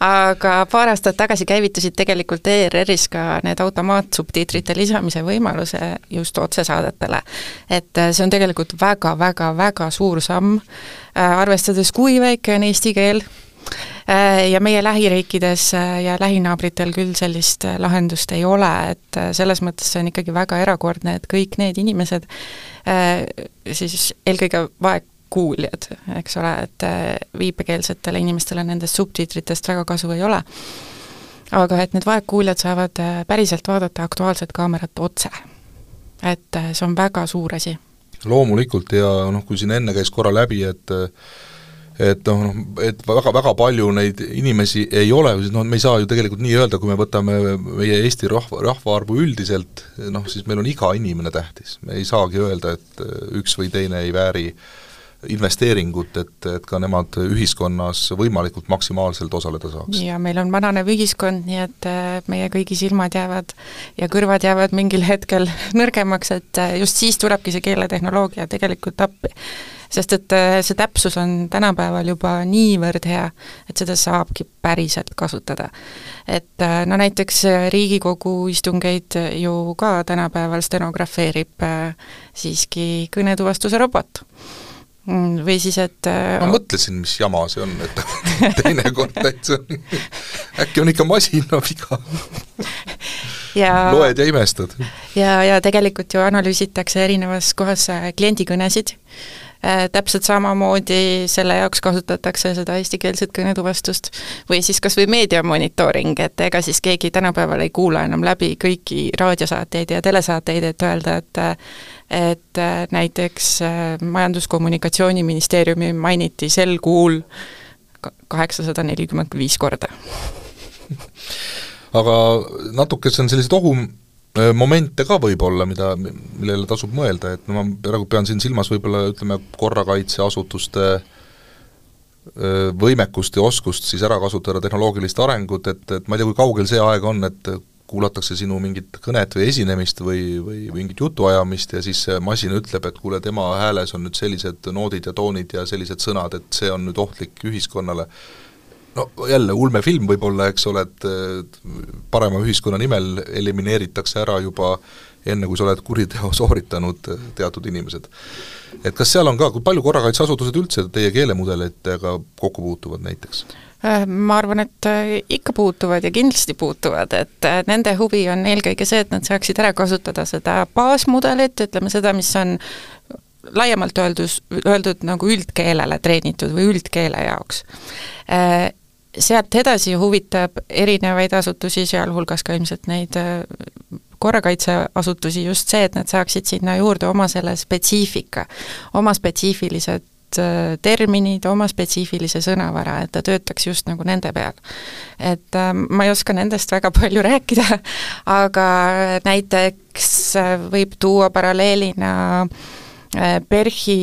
Aga paar aastat tagasi käivitusid tegelikult E R R-is ka need automaatsubtiitrite lisamise võimalused just otsesaadetele. Et see on tegelikult väga-väga-väga suur samm, arvestades kui väike on eesti keel ja meie lähiriikides ja lähinaabritel küll sellist lahendust ei ole, et selles mõttes see on ikkagi väga erakordne, et kõik need inimesed, siis eelkõige vaegkuuljad, eks ole, et viipekeelsetele inimestele nendest subtiitritest väga kasu ei ole, aga et need vaegkuuljad saavad päriselt vaadata Aktuaalset Kaamerat otse. Et see on väga suur asi. Loomulikult ja noh, kui siin enne käis korra läbi, et et noh, et väga, väga palju neid inimesi ei ole, no me ei saa ju tegelikult nii öelda, kui me võtame meie Eesti rahva, rahvaarvu üldiselt, noh siis meil on iga inimene tähtis. Me ei saagi öelda, et üks või teine ei vääri investeeringut, et, et ka nemad ühiskonnas võimalikult maksimaalselt osaleda saaks. Ja meil on vananev ühiskond, nii et meie kõigi silmad jäävad ja kõrvad jäävad mingil hetkel nõrgemaks, et just siis tulebki see keeletehnoloogia tegelikult appi. Sest et see täpsus on tänapäeval juba niivõrd hea, et seda saabki päriselt kasutada. Et no näiteks Riigikogu istungeid ju ka tänapäeval stenografeerib siiski kõnetuvastuse robot. Või siis, et ma mõtlesin, mis jama see on, et teine kord täitsa äkki on ikka masina viga. Ja, loed ja imestad. Ja, ja tegelikult ju analüüsitakse erinevas kohas kliendikõnesid. Täpselt samamoodi selle jaoks kasutatakse seda eestikeelset kõnetuvastust või siis kas või meediamonitooring, et ega siis keegi tänapäeval ei kuula enam läbi kõiki raadiosaateid ja telesaateid, et öelda, et et näiteks Majandus-Kommunikatsiooniministeeriumi mainiti sel kuul kaheksasada nelikümmend viis korda. Aga natuke see on sellised ohum momente ka võib-olla, mida, millele tasub mõelda, et no ma praegu pean siin silmas võib-olla ütleme korrakaitseasutuste võimekust ja oskust siis ära kasutada tehnoloogilist arengut, et, et ma ei tea, kui kaugel see aeg on, et kuulatakse sinu mingit kõnet või esinemist või, või mingit jutuajamist ja siis masin ütleb, et kuule, tema hääles on nüüd sellised noodid ja toonid ja sellised sõnad, et see on nüüd ohtlik ühiskonnale. no jälle, ulmefilm võib-olla, eks ole, et parema ühiskonna nimel elimineeritakse ära juba enne, kui sa oled kuriteo sooritanud teatud inimesed. Et kas seal on ka, kui palju korrakaitseasutused üldse teie keelemudelitega kokku puutuvad näiteks? Ma arvan, et ikka puutuvad ja kindlasti puutuvad, et nende huvi on eelkõige see, et nad saaksid ära kasutada seda baasmudelit, ütleme seda, mis on laiemalt öeldus, öeldud nagu üldkeelele treenitud või üldkeele jaoks. Sealt edasi huvitab erinevaid asutusi, sealhulgas ka ilmselt neid korrakaitseasutusi just see, et nad saaksid sinna juurde oma selle spetsiifika, oma spetsiifilised terminid, oma spetsiifilise sõnavara, et ta töötaks just nagu nende peal. Et äh, ma ei oska nendest väga palju rääkida, aga näiteks võib tuua paralleelina äh, PERHi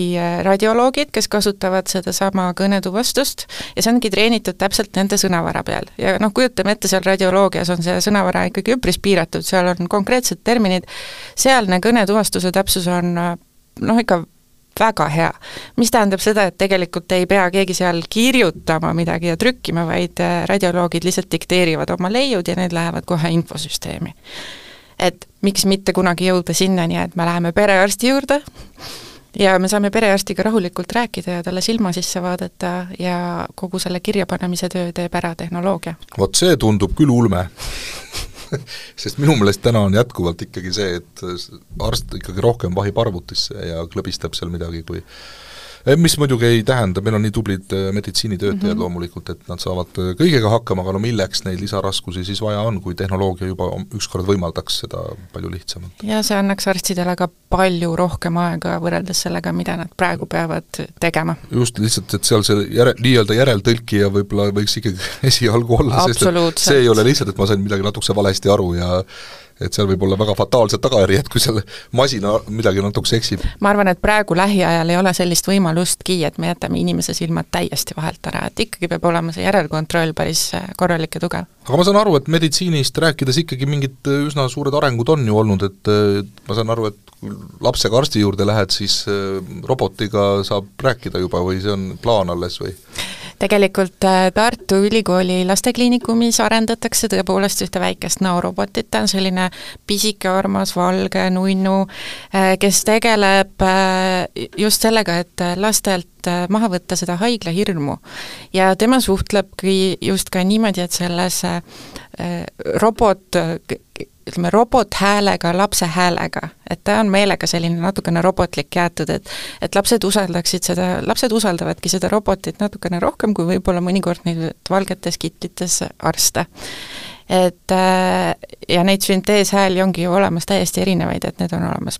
radioloogid, kes kasutavad seda sama kõnetuvastust ja see ongi treenitud täpselt nende sõnavara peal. Ja noh, kujutame ette, seal radioloogias on see sõnavara ikkagi üpris piiratud, seal on konkreetsed terminid, sealne kõnetuvastuse täpsus on noh, ikka väga hea. Mis tähendab seda, et tegelikult ei pea keegi seal kirjutama midagi ja trükkima, vaid radioloogid lihtsalt dikteerivad oma leiud ja need lähevad kohe infosüsteemi. Et miks mitte kunagi jõuda sinnani, et me läheme perearsti juurde ja me saame perearstiga rahulikult rääkida ja talle silma sisse vaadata ja kogu selle kirjapanemise töö teeb ära tehnoloogia. Vot see tundub küll ulme. Sest minu meelest täna on jätkuvalt ikkagi see, et arst ikkagi rohkem vahib arvutisse ja klõbistab seal midagi, kui mis muidugi ei tähenda, meil on nii tublid meditsiinitöötajad mm -hmm. loomulikult, et nad saavad kõigega hakkama, aga no milleks neid lisaraskusi siis vaja on, kui tehnoloogia juba ükskord võimaldaks seda palju lihtsamalt. Ja see annaks arstidele ka palju rohkem aega võrreldes sellega, mida nad praegu peavad tegema. Just lihtsalt, et seal see järe, nii-öelda järeltõlkija võib-olla võiks ikkagi esialgu olla, sest et see ei ole lihtsalt, et ma sain midagi natukese valesti aru ja et seal võib olla väga fataalsed tagajärjed, kui selle masina midagi natuke eksib. Ma arvan, et praegu lähiajal ei ole sellist võimalustki, et me jätame inimese silmad täiesti vahelt ära, et ikkagi peab olema see järelkontroll päris korralik ja tugev. Aga ma saan aru, et meditsiinist rääkides ikkagi mingid üsna suured arengud on ju olnud, et ma saan aru, et kui lapsega arsti juurde lähed, siis robotiga saab rääkida juba või see on plaan alles või? Tegelikult Tartu Ülikooli lastekliinikumis arendatakse tõepoolest ühte väikest näorobotit, ta on selline pisike, armas, valge, nunnu, kes tegeleb just sellega, et lastelt maha võtta seda haigla hirmu. Ja tema suhtlebki just ka niimoodi, et selles robot, ütleme, robothäälega, lapse häälega, et ta on meelega selline natukene robotlik jäetud, et, et lapsed usaldaksid seda, lapsed usaldavadki seda robotit natukene rohkem, kui võib-olla mõnikord neid valgetes kitlites arste. Et ja neid sünteeshääli ongi ju olemas täiesti erinevaid, et need on olemas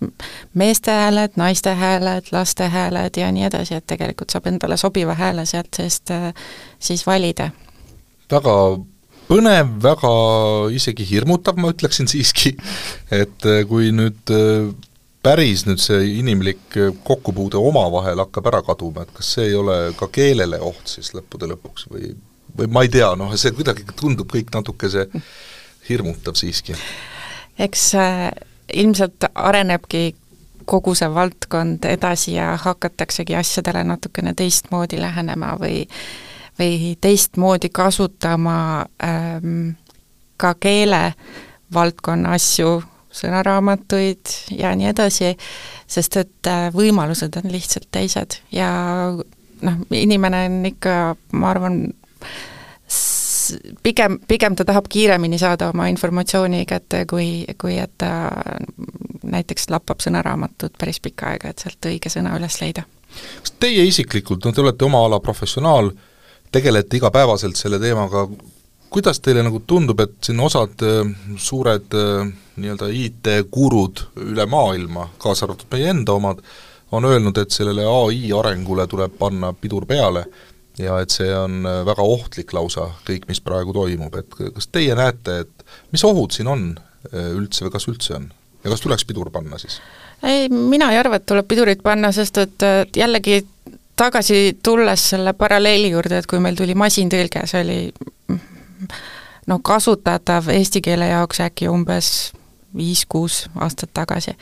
meeste hääled, naiste hääled, laste hääled ja nii edasi, et tegelikult saab endale sobiva hääle sealt seest siis valida. Väga põnev, väga isegi hirmutav, ma ütleksin siiski, et kui nüüd päris nüüd see inimlik kokkupuude omavahel hakkab ära kaduma, et kas see ei ole ka keelele oht siis lõppude lõpuks või, või ma ei tea, noh, see kuidagi tundub kõik natuke see hirmutav siiski. Eks äh, ilmselt arenebki kogu see valdkond edasi ja hakataksegi asjadele natukene teistmoodi lähenema või või teistmoodi kasutama ähm, ka keele valdkonna asju, sõnaraamatuid ja nii edasi, sest et äh, võimalused on lihtsalt teised ja noh, inimene on ikka, ma arvan, s- pigem, pigem ta tahab kiiremini saada oma informatsiooni kätte, kui, kui et ta näiteks lappab sõnaraamatut päris pikka aega, et sealt õige sõna üles leida. Kas teie isiklikult, no te olete oma ala professionaal, tegelete igapäevaselt selle teemaga, kuidas teile nagu tundub, et siin osad suured nii-öelda I T-gurud üle maailma, kaasa arvatud meie enda omad, on öelnud, et sellele A I arengule tuleb panna pidur peale ja et see on väga ohtlik lausa, kõik, mis praegu toimub, et kas teie näete, et mis ohud siin on üldse või kas üldse on? Ja kas tuleks pidur panna siis? Ei, mina ei arva, et tuleb pidurit panna, sest et jällegi tagasi tulles selle paralleeli juurde, et kui meil tuli masintõlge, see oli no kasutatav eesti keele jaoks äkki umbes viis kuus aastat tagasi.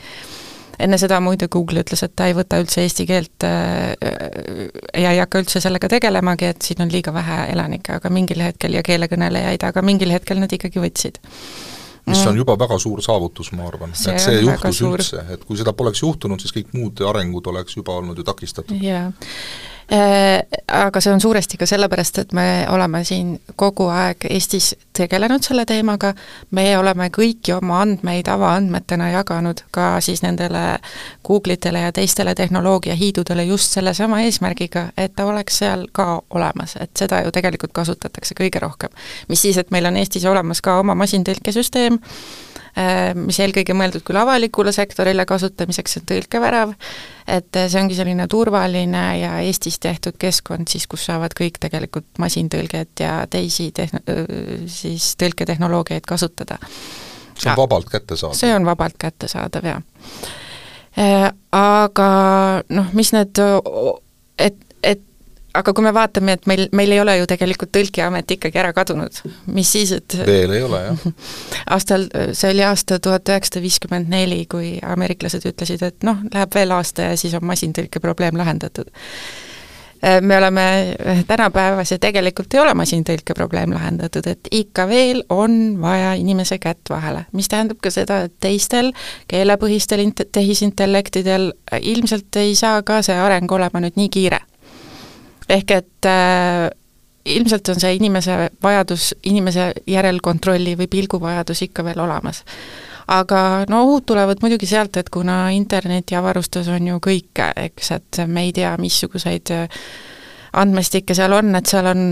enne seda muide Google ütles, et ta ei võta üldse eesti keelt äh, ja ei hakka üldse sellega tegelemagi, et siin on liiga vähe elanikke, aga mingil hetkel ja keelekõnelejaid, aga mingil hetkel nad ikkagi võtsid. Mis on juba väga suur saavutus, ma arvan, see et see juhtus üldse, et kui seda poleks juhtunud, siis kõik muud arengud oleks juba olnud ju takistatud. Jaa. Aga see on suuresti ka sellepärast, et me oleme siin kogu aeg Eestis tegelenud selle teemaga, me oleme kõiki oma andmeid avaandmetena jaganud ka siis nendele Google'itele ja teistele tehnoloogiahiidudele just selle sama eesmärgiga, et ta oleks seal ka olemas, et seda ju tegelikult kasutatakse kõige rohkem. Mis siis, et meil on Eestis olemas ka oma masintõlkesüsteem, mis eelkõige mõeldud küll avalikule sektorile kasutamiseks, see on tõlkevärav, et see ongi selline turvaline ja Eestis tehtud keskkond siis, kus saavad kõik tegelikult masintõlget ja teisi tehn-, siis tõlketehnoloogiaid kasutada. See on vabalt kättesaadav. See on vabalt kättesaadav, jah. Aga noh, mis need, et, et aga kui me vaatame, et meil, meil ei ole ju tegelikult tõlkiamet ikkagi ära kadunud, mis siis, et veel ei ole, jah. Aastal, see oli aasta tuhat üheksasada viiskümmend neli, kui ameeriklased ütlesid, et noh, läheb veel aasta ja siis on masintõlke probleem lahendatud. Me oleme tänapäevas ja tegelikult ei ole masintõlke probleem lahendatud, et ikka veel on vaja inimese kätt vahele, mis tähendab ka seda, et teistel keelepõhistel tehisintellektidel ilmselt ei saa ka see areng olema nüüd nii kiire. Ehk et äh, ilmselt on see inimese vajadus, inimese järelkontrolli või pilguvajadus ikka veel olemas. Aga no ohud tulevad muidugi sealt, et kuna interneti avarustus on ju kõike, eks, et me ei tea, missuguseid andmestikke seal on, et seal on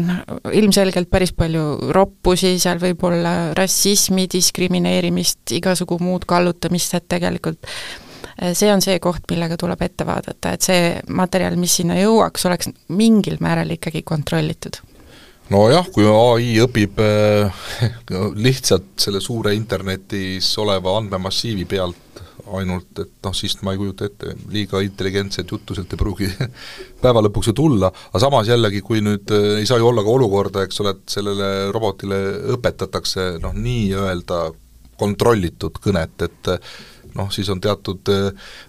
ilmselgelt päris palju roppusi, seal võib olla rassismi, diskrimineerimist, igasugu muud kallutamist, et tegelikult see on see koht, millega tuleb ette vaadata, et see materjal, mis sinna jõuaks, oleks mingil määral ikkagi kontrollitud. No jah, kui A I õpib äh, lihtsalt selle suure internetis oleva andmemassiivi pealt ainult, et noh, siis ma ei kujuta ette, liiga intelligentset juttu sealt ei pruugi päeva lõpuks ju tulla, aga samas jällegi, kui nüüd ei saa ju olla ka olukorda, eks ole, et sellele robotile õpetatakse noh, nii-öelda kontrollitud kõnet, et noh, siis on teatud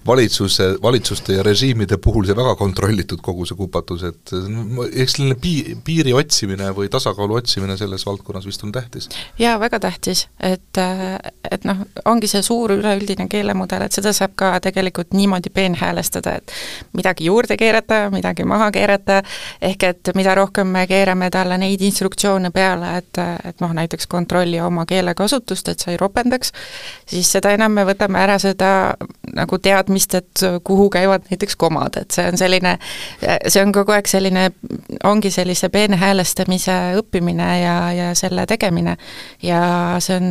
valitsuse, valitsuste ja režiimide puhul see väga kontrollitud kogu see kupatus, et eks selline pii, piiri otsimine või tasakaalu otsimine selles valdkonnas vist on tähtis. Jaa, väga tähtis, et, et noh, ongi see suur üleüldine keelemudel, et seda saab ka tegelikult niimoodi peenhäälestada, et midagi juurde keerata, midagi maha keerata, ehk et mida rohkem me keerame talle neid instruktsioone peale, et, et noh, näiteks kontrolli oma keelekasutust, et sa ei ropendaks, siis seda enam me võtame ära seda nagu teadmist, et kuhu käivad näiteks komad, et see on selline, see on kogu aeg selline, ongi sellise peenhäälestamise õppimine ja, ja selle tegemine ja see on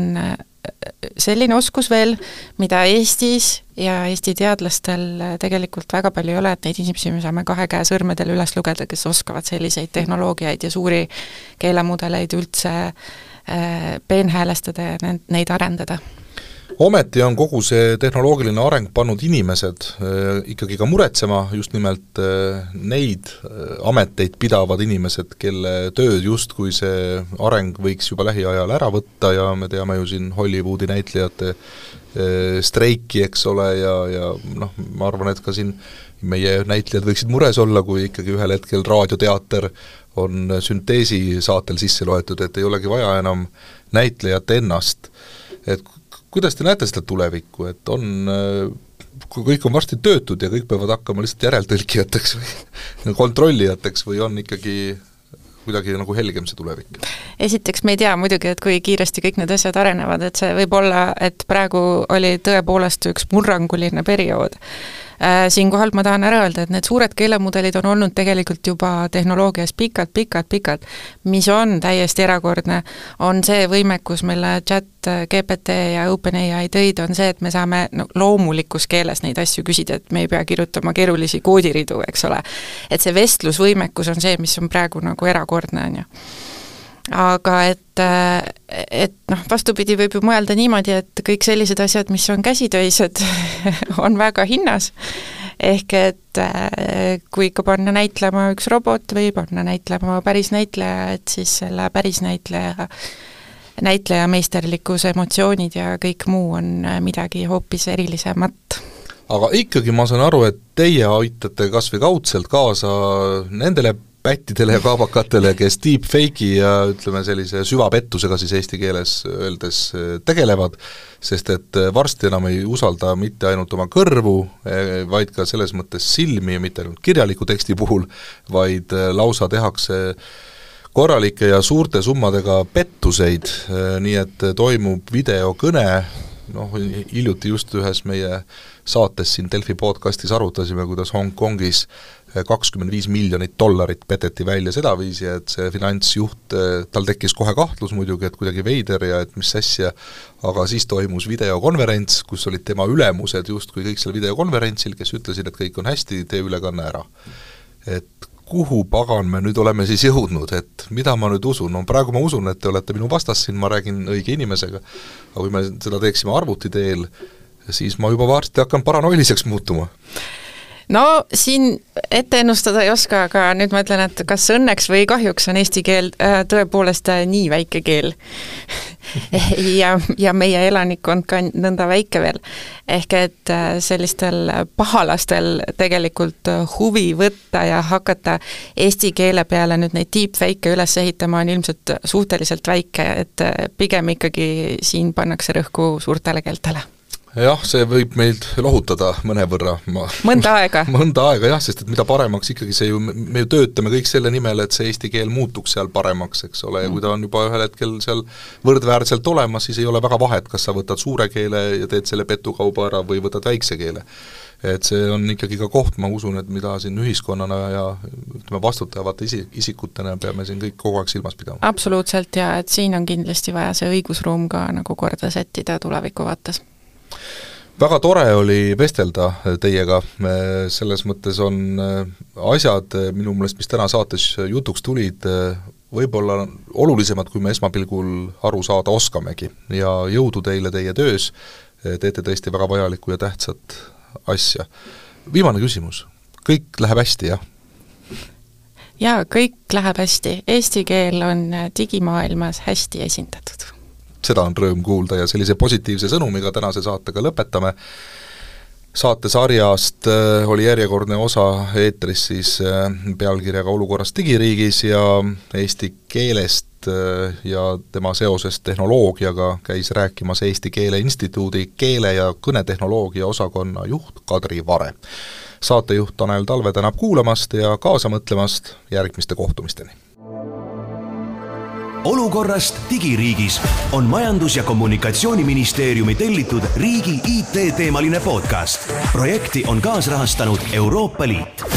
selline oskus veel, mida Eestis ja Eesti teadlastel tegelikult väga palju ei ole, et neid inimesi me saame kahe käe sõrmedel üles lugeda, kes oskavad selliseid tehnoloogiaid ja suuri keelemudeleid üldse peenhäälestada ja neid arendada. Ometi on kogu see tehnoloogiline areng pannud inimesed äh, ikkagi ka muretsema, just nimelt äh, neid äh, ameteid pidavad inimesed, kelle tööd justkui see areng võiks juba lähiajal ära võtta ja me teame ju siin Hollywoodi näitlejate äh, streiki, eks ole, ja, ja noh, ma arvan, et ka siin meie näitlejad võiksid mures olla, kui ikkagi ühel hetkel raadioteater on sünteesi saatel sisse loetud, et ei olegi vaja enam näitlejat ennast, et kuidas te näete seda tulevikku, et on, kui kõik on varsti töötud ja kõik peavad hakkama lihtsalt järeltõlkijateks või kontrollijateks või on ikkagi kuidagi nagu helgem see tulevik? Esiteks me ei tea muidugi, et kui kiiresti kõik need asjad arenevad, et see võib olla, et praegu oli tõepoolest üks murranguline periood. Siinkohal ma tahan ära öelda, et need suured keelemudelid on olnud tegelikult juba tehnoloogias pikalt, pikalt, pikalt. Mis on täiesti erakordne, on see võimekus, mille chat G P T ja OpenAI tõid, on see, et me saame no, loomulikus keeles neid asju küsida, et me ei pea kirjutama keerulisi koodiridu, eks ole. Et see vestlusvõimekus on see, mis on praegu nagu erakordne, on ju. Aga et, et noh, vastupidi võib ju mõelda niimoodi, et kõik sellised asjad, mis on käsitöised, on väga hinnas. Ehk et kui ikka panna näitlema üks robot või panna näitlema päris näitleja, et siis selle päris näitleja, näitleja meisterlikkus, emotsioonid ja kõik muu on midagi hoopis erilisemat. aga ikkagi ma saan aru, et teie aitate kas või kaudselt kaasa nendele pättidele ja kaabakatele, kes deepfake'i ja ütleme sellise süvapettusega siis eesti keeles öeldes tegelevad, sest et varsti enam ei usalda mitte ainult oma kõrvu, vaid ka selles mõttes silmi, mitte ainult kirjaliku teksti puhul, vaid lausa tehakse korralike ja suurte summadega pettuseid, nii et toimub videokõne, noh, hiljuti just ühes meie saates siin Delfi podcastis arutasime, kuidas Hongkongis kakskümmend viis miljonit dollarit peteti välja sedaviisi, et see finantsjuht, tal tekkis kohe kahtlus muidugi, et kuidagi veider ja et mis asja, aga siis toimus videokonverents, kus olid tema ülemused justkui kõik seal videokonverentsil, kes ütlesid, et kõik on hästi, tee ülekanne ära. Et kuhu pagan me nüüd oleme siis jõudnud, et mida ma nüüd usun, no praegu ma usun, et te olete minu vastas siin, ma räägin õige inimesega, aga kui me seda teeksime arvuti teel, siis ma juba varsti hakkan paranoiliseks muutuma. No siin ette ennustada ei oska, aga nüüd ma ütlen, et kas õnneks või kahjuks on eesti keel tõepoolest nii väike keel ja, ja meie elanikkond ka nõnda väike veel. Ehk et sellistel pahalastel tegelikult huvi võtta ja hakata eesti keele peale nüüd neid deepfake'e üles ehitama on ilmselt suhteliselt väike, et pigem ikkagi siin pannakse rõhku suurtele keeltele. Jah, see võib meid lohutada mõnevõrra. Ma, mõnda aega. mõnda aega, jah, sest et mida paremaks ikkagi see ju, me ju töötame kõik selle nimel, et see eesti keel muutuks seal paremaks, eks ole, ja kui ta on juba ühel hetkel seal võrdväärselt olemas, siis ei ole väga vahet, kas sa võtad suure keele ja teed selle petukauba ära või võtad väikse keele. Et see on ikkagi ka koht, ma usun, et mida siin ühiskonnana ja ütleme vastutavate isi, isikutena peame siin kõik kogu aeg silmas pidama. Absoluutselt, ja et siin on kindlasti vaja see õigusruum ka nagu korda sättida tuleviku vaates. Väga tore oli vestelda teiega, selles mõttes on asjad minu meelest, mis täna saates jutuks tulid, võib-olla olulisemad, kui me esmapilgul aru saada oskamegi ja jõudu teile teie töös, teete tõesti väga vajalikku ja tähtsat asja. Viimane küsimus, kõik läheb hästi, jah? Jaa, kõik läheb hästi, eesti keel on digimaailmas hästi esindatud. Seda on rõõm kuulda ja sellise positiivse sõnumiga tänase saatega lõpetame. Saatesarjast oli järjekordne osa eetris siis pealkirjaga Olukorrast digiriigis ja eesti keelest ja tema seosest tehnoloogiaga käis rääkimas Eesti Keele Instituudi keele- ja kõnetehnoloogia osakonna juht Kadri Vare. Saatejuht Tanel Talve tänab kuulamast ja kaasa mõtlemast järgmiste kohtumisteni. Olukorrast digiriigis on Majandus- ja Kommunikatsiooniministeeriumi tellitud riigi I T-teemaline podcast. Projekti on kaasrahastanud Euroopa Liit.